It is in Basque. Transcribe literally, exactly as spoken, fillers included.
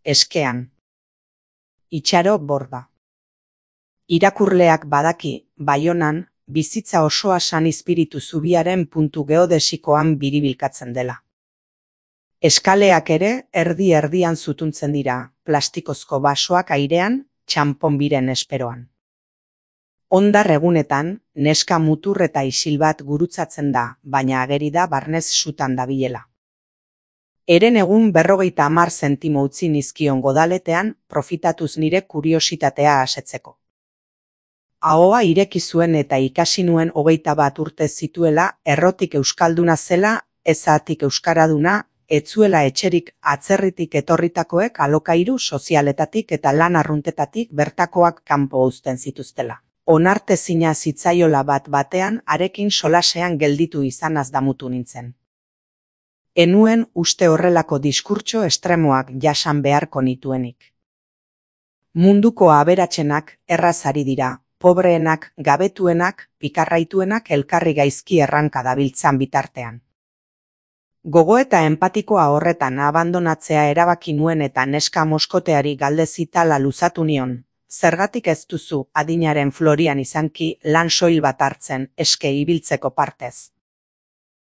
eskean. Itxaro Borda. Irakurleak badaki, Baionan, bizitza osoa San Izpiritu zubiaren puntu geodesikoan biribilkatzen dela. Eskaleak ere erdi-erdian zutuntzen dira, plastikozko basoak airean, txanponbiren esperoan. Hondar egunetan, neska mutur eta isil bat gurutzatzen da, baina ageri da barnez sutan dabilela. Eren egun berrogeita hamar zentimo utzi nizkion godaletean, profitatuz nire kuriositatea asetzeko. Ahoa ireki zuen eta ikasi nuen hogeita bat urte zituela, errotik euskalduna zela, ezatik euskaraduna, etzuela etxerik atzerritik etorritakoek alokairu sozialetatik eta lan arruntetatik bertakoak kanpo uzten zituztela. Onartezina zitzaiola bat batean arekin solasean gelditu izanaz damutu nintzen. Enuen uste horrelako diskurtso estremoak jasan beharko nituenik. Munduko aberatsenak errazari dira, pobreenak, gabetuenak, pikarraituenak elkarri gaizki erranka dabiltzan bitartean. Gogo eta empatikoa horretan abandonatzea erabaki nuen eta neska moskoteari galdezitala luzatu nion. Zergatik ez duzu adinaren Florian izanki lan soil bat hartzen eske ibiltzeko partez.